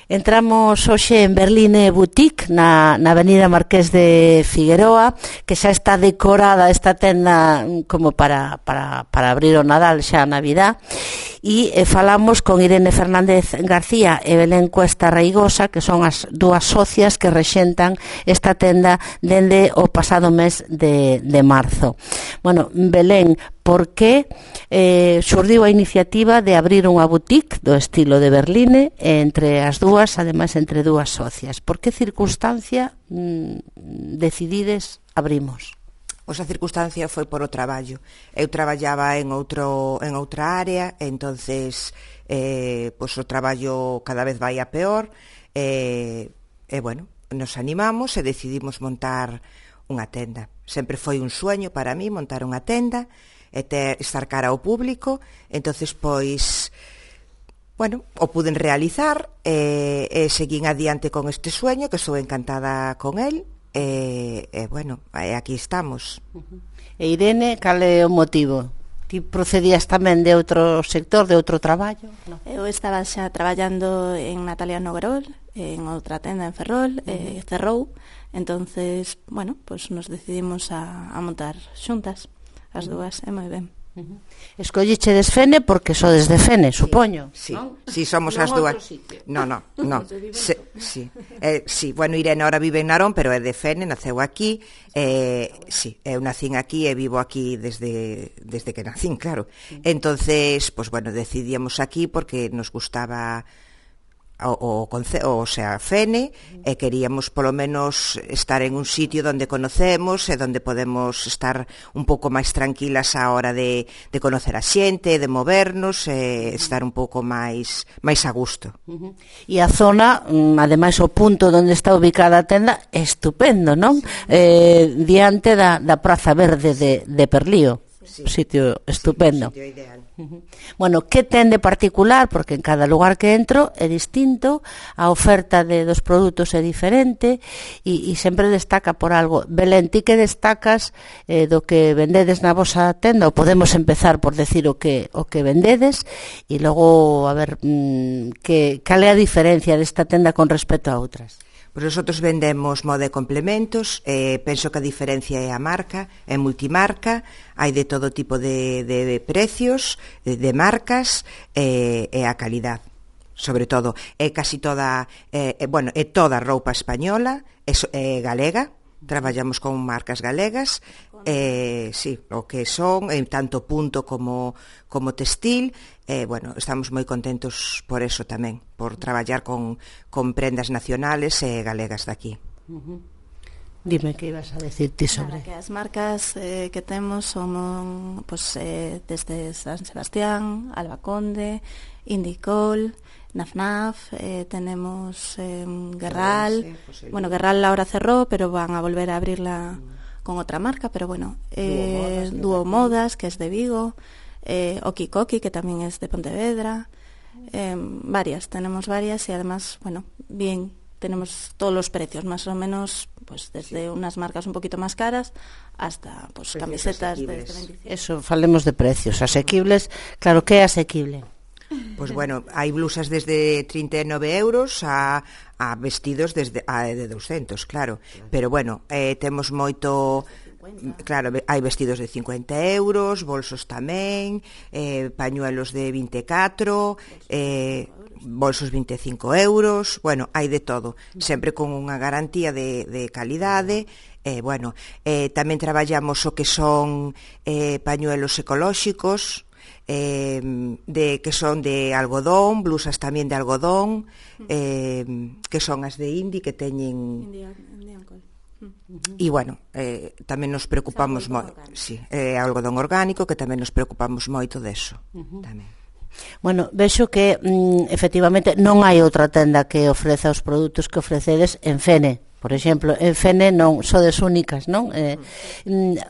Entramos hoxe en Berline Boutique na avenida Marqués de Figueroa, que xa está decorada esta tenda como para abrir o Nadal xa a Navidad, e falamos con Irene Fernández García e Belén Cuesta Reigosa, que son as dúas socias que rexentan esta tenda dende o pasado mes de marzo. Bueno, Belén, por que xurdiu a iniciativa de abrir unha boutique do estilo de Berline entre as dúas, ademais entre dúas socias? Por que circunstancia decidides abrimos? Pois a circunstancia foi por o traballo. Eu traballaba en outra área, entonces pois o traballo cada vez vai a peor, e bueno, nos animamos e decidimos montar unha tenda. Sempre foi un sueño para mí montar unha tenda e estar cara ao público, entonces pois bueno, o puden realizar e seguín adiante con este sueño, que estou encantada con el. Bueno, aquí estamos. E Irene, cal é o motivo? Ti procedías tamén de outro sector, de outro traballo? No. Eu estaba xa traballando en Natalia Noguerol, en outra tenda en Ferrol, cerrou, entonces, bueno, pues nos decidimos a montar xuntas, as dúas, é moi ben. Escollichedes Fene porque sodes de Fene, supoño. Sí, sí, somos as dúas. No. Sí, bueno, Irene ahora vive en Narón, pero é de Fene, naceu aquí. Sí, eu nacín aquí e vivo aquí desde que nacín, claro. Entonces, pues bueno, decidíamos aquí porque nos gustaba o sea, Fene, e queríamos polo menos estar en un sitio donde conocemos e donde podemos estar un pouco máis tranquilas á hora de conocer a xente, de movernos, e estar un pouco máis a gusto. E a zona, ademais o punto onde está ubicada a tenda, é estupendo, non? Diante da Praza Verde de Perlío. Sitio estupendo. Sitio ideal. Bueno, que ten de particular? Porque en cada lugar que entro é distinto, a oferta dos produtos é diferente e sempre destaca por algo. Belén, ti que destacas do que vendedes na vosa tenda? Ou podemos empezar por decir o que vendedes e logo a ver cal é a diferencia desta tenda con respecto a outras. Pois nosotros vendemos moda e complementos, penso que a diferencia é a marca, é multimarca, hai de todo tipo de precios, de marcas, e a calidad, sobre todo. É casi toda, bueno, é toda roupa española, é galega, traballamos con marcas galegas, sí, o que son, tanto punto como textil. Bueno, estamos moi contentos por eso tamén, por traballar con prendas nacionales e galegas daqui. Dime que ibas a decir ti sobre... Claro, que as marcas que temos son pues, desde San Sebastián, Alba Conde, Indicol, Nafnaf, tenemos Guerral. Bueno, Guerral ahora cerró, pero van a volver a abrirla con otra marca, pero bueno, Duo Modas, que es de Vigo, Okikoki, que también es de Pontevedra, tenemos varias y además, bueno, bien, tenemos todos los precios, más o menos, pues desde unas marcas un poquito más caras hasta pues camisetas de 25. Eso, falemos de precios asequibles. Claro, que é asequible? Pois bueno, hai blusas desde 39 euros a vestidos de 200, claro. Pero bueno, temos moito... Claro, hai vestidos de 50 euros, bolsos tamén, pañuelos de 24, bolsos 25 euros, bueno, hai de todo, sempre con unha garantía de calidade. Bueno, tamén traballamos o que son pañuelos ecolóxicos, que son de algodón, blusas tamén de algodón, que son as de Indi, que teñen... E bueno, tamén nos preocupamos moito, sí, algodón orgánico, que tamén nos preocupamos moito deso tamén. Bueno, vexo que efectivamente non hai outra tenda que ofreza os produtos que ofrecedes en Fene. Por exemplo, en Fene non sodes únicas, non?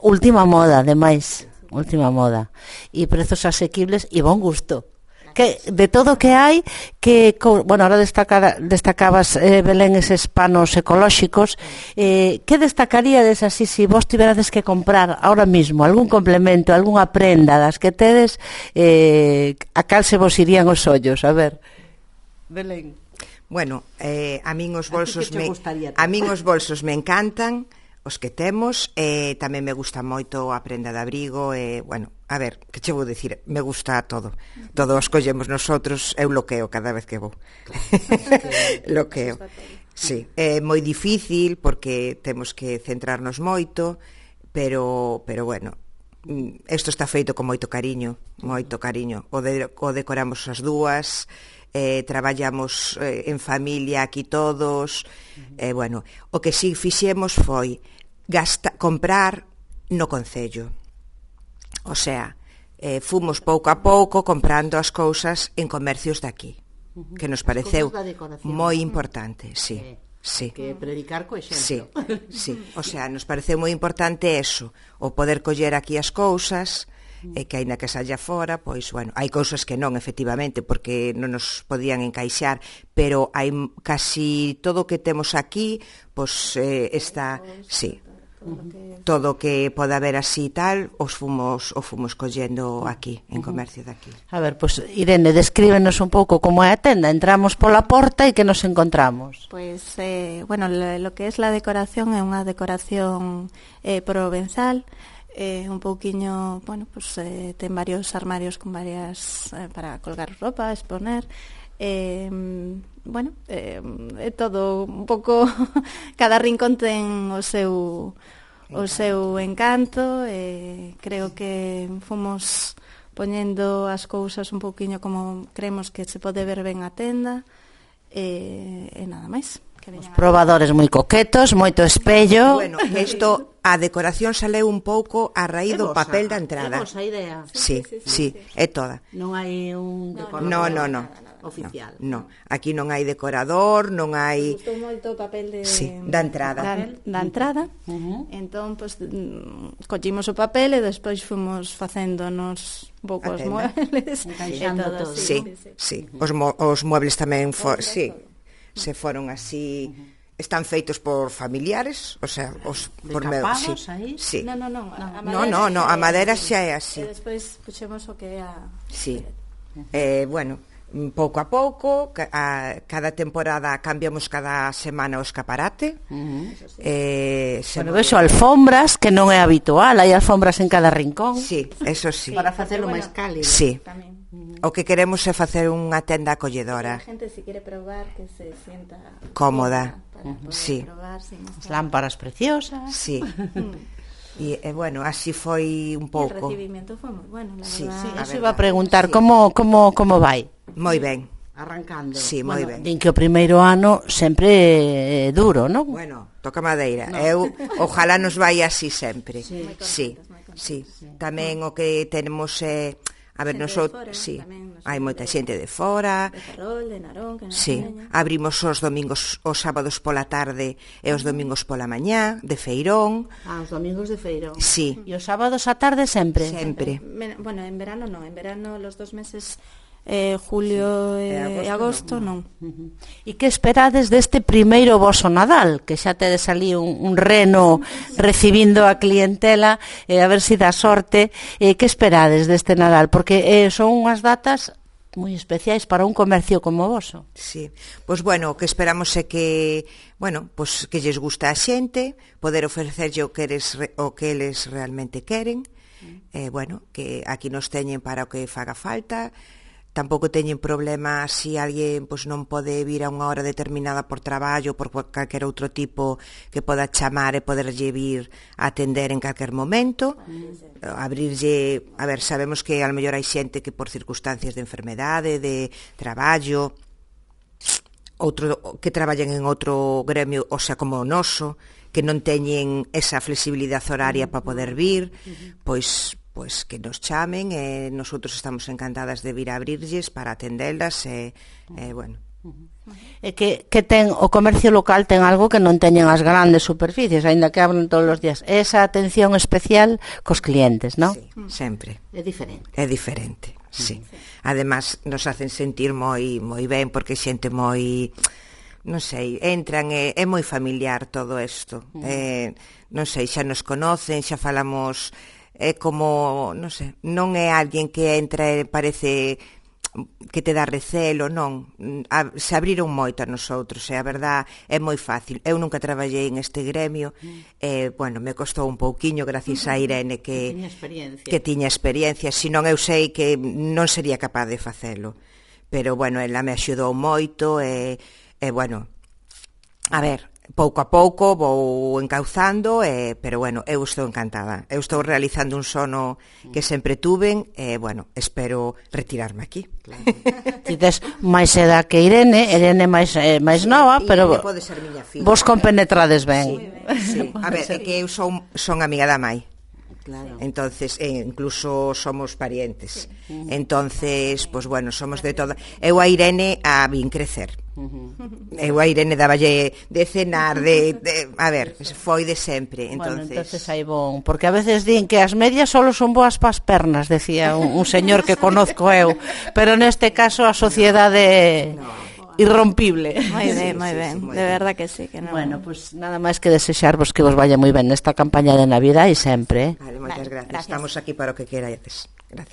Última moda, ademais, última moda. E prezos asequibles e bon gusto. Que de todo que hai, que bueno, ahora destacabas, Belén, eses panos ecolóxicos, que destacaríades así se vos tiverades que comprar ahora mismo algún complemento, algunha prenda das que tedes, a cal se vos irían os ollos? A ver, Belén. Bueno, a min os bolsos a min os bolsos me encantan, os que temos, tamén me gusta moito a prenda de abrigo, bueno, a ver, que che vou dicir, me gusta todo os collemos nosotros, eu loqueo cada vez que vou. Loqueo. Sí, é moi difícil porque temos que centrarnos moito, pero bueno, isto está feito con moito cariño, o decoramos as dúas, traballamos en familia aquí todos, bueno, o que si fixemos foi comprar no concello, o sea, fomos pouco a pouco comprando as cousas en comercios de aquí, que nos pareceu moi importante, sí. Sí. Que predicar co exemplo. Sí. O sea, nos pareceu moi importante eso, o poder coller aquí as cousas, que aínda que saia fora, pois, bueno, hai cousas que non, efectivamente, porque non nos podían encaixar, pero hai casi todo o que temos aquí, pois está, sí, todo o que poda haber así tal, o fomos collendo aquí, en comercio de aquí. A ver, pois, Irene, descríbenos un pouco como é a tenda. Entramos pola porta e que nos encontramos? Pois, bueno, lo que es la decoración é unha decoración provenzal, un pouquiño, bueno, pues ten varios armarios con varias para colgar roupa, exponer, bueno, é todo un pouco cada rincón ten o seu encanto, creo que fomos poñendo as cousas un pouquiño como creemos que se pode ver ben a tenda, e nada máis. Os probadores moi coquetos, moito espello. Bueno, isto, a decoración saleu un pouco a raíz do papel da entrada. É vosa idea? Sí, é toda. Non hai un decorador oficial? No, aquí non hai decorador, non hai... Gustou moito o papel da entrada. Da entrada. Entón, pues, collimos o papel e despois fomos facéndonos un pouco os muebles. Encaixando todo. Sí. Os muebles tamén se foron así, están feitos por familiares, o sea, por capados aí? Sí. Non, a madera xa é así. E despois puxemos o que é a... Sí. Bueno, pouco a pouco, cada temporada cambiamos cada semana o escaparate. Bueno, vexo alfombras, que non é habitual, hai alfombras en cada rincón. Sí, eso sí. Para facelo máis cálido. Sí. Tamén. O que queremos é facer unha tenda acolledora. A xente, se quere probar, que se sienta cómoda. Para poder probar, as lámparas preciosas. Sí. E bueno, así foi un pouco. O recibimento foi moi bueno, la verdad. Eso iba a preguntar, como vai? Moi ben. Arrancando. Sí, moi ben. Din que o primeiro ano sempre é duro, non? Bueno, toca madeira. Eu, ojalá nos vai así sempre. Sí. Tamén o que tenemos é... A ver, nosotros, sí, hai moita xente de fora. De Ferrol, de Narón, que nos enseña. Abrimos os domingos, os sábados pola tarde e os domingos pola mañá, de feirón. Os domingos de feirón. Sí. E os sábados á tarde sempre? Sempre. Bueno, en verano non, en verano los 2 meses... julio e agosto non. E que esperades deste primeiro voso Nadal, que xa tedes ali un reno recibindo a clientela, a ver se dá sorte, que esperades deste Nadal, porque son unhas datas moi especiais para un comercio como o voso. Sí, pois bueno, o que esperamos é que, bueno, pois que lles gusta a xente, poder ofrecerlle o que eles realmente queren, bueno, que aquí nos teñen para o que faga falta. Tampouco teñen problema se alguén pois non pode vir a unha hora determinada por traballo, por calquer outro tipo que poda chamar e poderlle vir a atender en calquer momento, abrirlle, a ver, sabemos que a lo mellor hai xente que por circunstancias de enfermedade, de traballo, outro que traballan en outro gremio, o sea, como o noso, que non teñen esa flexibilidade horaria para poder vir, pois que nos chamen e nosotros estamos encantadas de vir a abrirlles para atendelas e bueno. E que ten o comercio local ten algo que non teñen as grandes superficies, aínda que abren todos os días, esa atención especial cos clientes, non? Sí, sempre. É diferente. É diferente, sí. Además, nos hacen sentir moi ben porque xente moi, non sei, entran, é moi familiar todo isto. Non sei, xa nos conocen, xa falamos... É como, non sei, non é alguén que entra e parece que te dá recelo, non. Se abriron moito a nosotros, e a verdad é moi fácil. Eu nunca traballei en este gremio, bueno, me costou un pouquiño gracias a Irene que tiña experiencia, senón eu sei que non sería capaz de facelo. Pero, bueno, ela me axudou moito e bueno, a ver, pouco a pouco vou encauzando, pero, bueno, eu estou encantada. Eu estou realizando un sono que sempre tuven e, bueno, espero retirarme aquí. Claro. Ti tes máis edad que Irene máis nova, pero pode ser miña filla, vos compenetrades ben. Sí. A ver, é que eu son amiga da mai. Claro. Entonces, incluso somos parientes. Entonces, pues bueno, somos de todo. Eu a Irene a vin crecer. Eu a Irene daballe de cenar, a ver, foi de sempre. Entonces hai bon, porque a veces din que as medias solo son boas pas pernas, decía un señor que conozco eu, pero neste caso a sociedade irrompible. Moi ben, de verdad que sí, que non. Bueno, pues nada máis que desexarvos que vos vaya moi ben nesta campaña de Navidad e sempre. Vale, moitas gracias. Estamos aquí para o que querades. Gracias.